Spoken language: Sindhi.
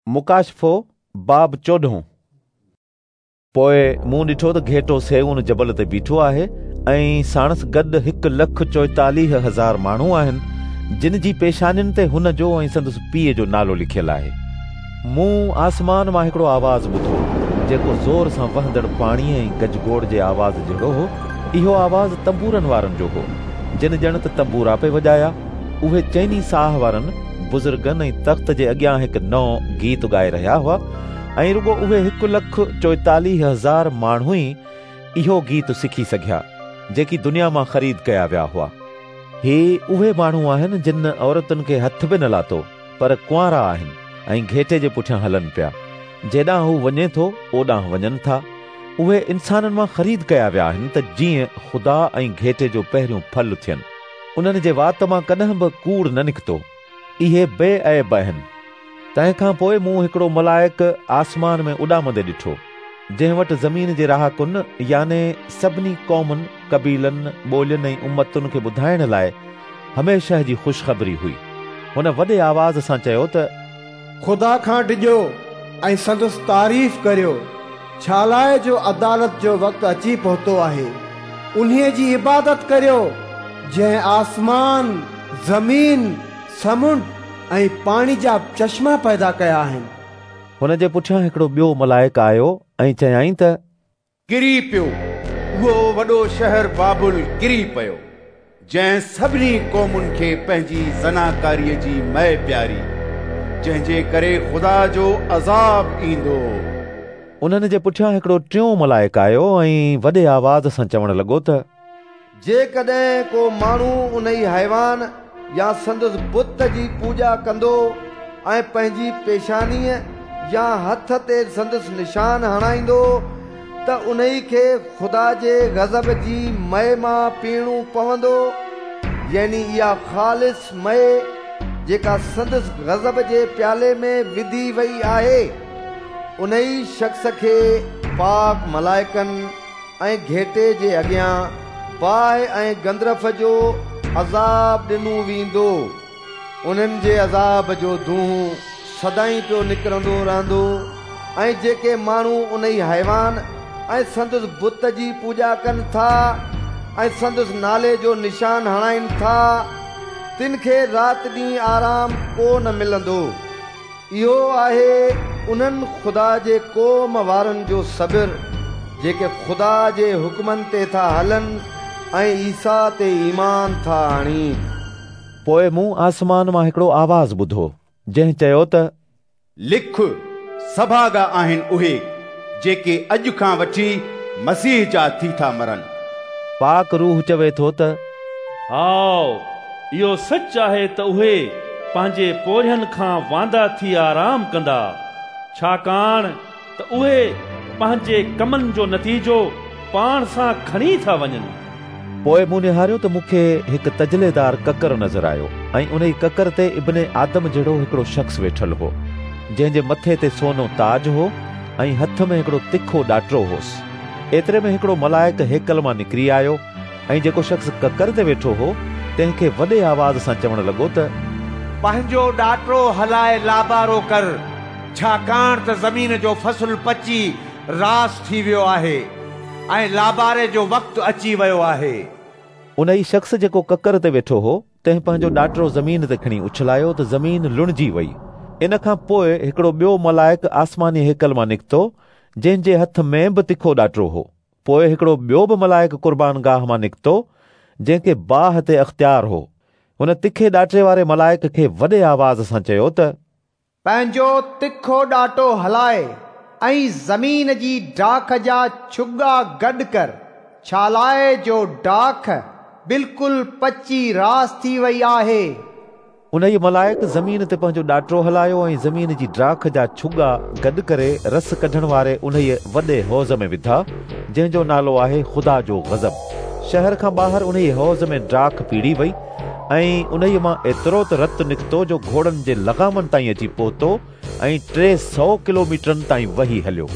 مڪاشفو، باب چوڏهون. پوء مون ڏٺو ته گهيٽو صيئون جبل تي بيٺو آهي ۽ ساڻس گڏ 1,44,000 ماڻهو آهن، جن جي پيشانين تي هن جو ۽ سندس پيء جو نالو لکيل آهي. مون آسمان مان هڪڙو آواز ٻڌو، جيڪو زور سان وهندڙ پاڻيء ۽ گجگوڙ جي آواز جهڙو هو. اهو آواز تنبورن وارن جو هو، جن ڄڻ ته تنبورا پئي وڄايا. اهي چئني ساهه وارن بزرگن ۽ تخت جي اڳيان هڪ نئون گيت ڳائي رهيا هئا ۽ رڳو اهي 1,44,000 ماڻهو ئي اهو گيت سکي سگهيا، جيڪي دنيا مان خريد ڪيا ويا هئا. هي اهي ماڻهو آهن جن عورتن کي هٿ به نه لاتو، پر ڪنوارا آهن ۽ گهيٽي جي پٺيان هلن پيا. جيڏانهن هو وڃي ٿو، اوڏانهن وڃن ٿا. اهي انسانن مان خريد ڪيا ويا آهن ته جيئن خدا ۽ گهيٽي جو پهريون ڦل ٿين. انهن جي وات مان ڪڏهن به ڪوڙ نه نڪتو. اهي بي عيب آهن. تنهن کان پوء مون هڪڙو ملائڪ آسمان ۾ اڏامندي ڏٺو، جنهن وٽ زمين جي رهاڪن يعني سڀني قومن، قبيلن، ٻولين ۽ امتن کي ٻڌائڻ لاء هميشه جي خوشخبري هئي. هن وڏي آواز سان چيو ته. خدا کان ڊڄو ۽ سندس تعريف ڪريو، ڇالاء جو عدالت جو وقت اچي پهتو آهي. انهيء جي عبادت ڪريو، جنهن آسمان، زمين، سمنڊ ۽ پاڻي جا چشما پيدا ڪيا آهن. هن جي پٺيان هڪڙو ٻيو ملائڪ آيو ۽ چيائين ته. ڪري پيو، اهو وڏو شهر بابل ڪري پيو، جنهن سڀني قومن کي پنهنجي زناڪاريء جي مئي پياري، جنهن جي ڪري خدا جو عذاب ايندو. انهن جي پٺيان هڪڙو ٽيون ملائڪ آيو ۽ وڏي آواز سان چوڻ لڳو ته. جيڪڏهن ڪو ماڻهو انهي حيوان يا سندس بت جي پوڄا ڪندو ۽ پنهنجي پيشانيء يا هٿ تي سندس نشان هڻائيندو ته انهي کي خدا جي غضب جي مئي مان پيئڻو پوندو، يعني اها خالص مئي جيڪا سندس غضب جي پيالي ۾ وڌي وئي آهي. انهي شخص کي پاڪ ملائڪن ۽ گهيٽي جي اڳيان باهه ۽ گندرف جو عذاب ڏنو ويندو. انهن جي عذاب جو دونهون سدائين پيو نڪرندو رهندو ۽ جيڪي ماڻهو انهي حيوان ۽ سندس بت جي پوڄا ڪن ٿا ۽ سندس نالي جو نشان هڻائين ٿا، تن کي رات ڏينهن آرام ڪو نه ملندو. اهو آهي انهن خدا جي قوم وارن جو صبر، جيڪي خدا جي حڪمن تي ٿا هلن ۽ عيسيٰ تي ايمان ٿا آڻين. پوء مون آسمان مان هڪڙو آواز ٻڌو، جنهن چيو ته. لک، سڀاڳا آهن اهي، جيڪي اڄ کان وٺي مسيح جا ٿي ٿا مرن. پاڪ روح چوي ٿو ته. هائو، اهو سچ آهي ته اهي پنهنجي پورهين کان واندا ٿي آرام ڪندا، ڇاڪاڻ ته اهي پنهنجي ڪمن جو نتيجو پاڻ سان کڻي ٿا وڃن. پوء مون نهاريو ته مون کي هڪ تجليدار ڪڪر نظر آيو ۽ انهي ڪڪر تي ابن آدم جهڙو هڪڙو شخص ويٺل هو، جنهن جي مٿي تي سونو تاج هو ۽ هٿ ۾ هڪڙو تکو ڏاٽرو هوس. ايتري ۾ هڪڙو ملائڪ هيڪل مان نڪري آيو ۽ جيڪو شخص ڪڪر تي ويٺو هو، تنهن کي وڏي آواز سان چوڻ لڳو ته. پنهنجو ڏاٽرو هلائي لابارو ڪر، ڇاڪاڻ ته زمين جو فصل پچي راس ٿي ويو آهي ۽ لاباري جو وقت اچي ويو آهي. انهي شخص جيڪو ڪڪر تي ويٺو هو، تنهن پنهنجو ڏاٽرو زمين تي کڻي اڇلايو ته زمين لڻجي وئي. ان کان پوء هڪڙو ٻيو ملائڪ آسماني هيڪل مان نڪتو، جنهن جي هٿ ۾ به تکو ڏاٽرو هو. پوء هڪڙو ٻيو به ملائڪ قربانگاهه مان نڪتو، جنهن کي باهه تي اختيار هو. هن تکي ڏاٽري واري ملائڪ کي وڏي آواز سان چيو ته. پنهنجو تکو ڏاٽو هلاء ۽ زمين جي ڊاک جا ڇڳا گڏ ڪر، ڇالاء جو ڊاک بلڪل پچي راس ٿي وئي آهي. انهيء ملائڪ زمين تي پنهنجو ڏاٽرو هلايو ۽ زمين جي ڊاک جا ڇڳا گڏ ڪري رس ڪڍڻ واري انهيء وڏي حوض ۾ وڌا، جنهن جو نالو آهي خدا جو غضب. شهر کان ٻاهر انهيء حوض ۾ ڊاک پيڙي وئي ۽ انهيء مان ايترو ته رت نڪتو جو گهوڙن جي لغامن تائين اچي پهتو ۽ 300 ڪلوميٽرن تائين وهي هليو.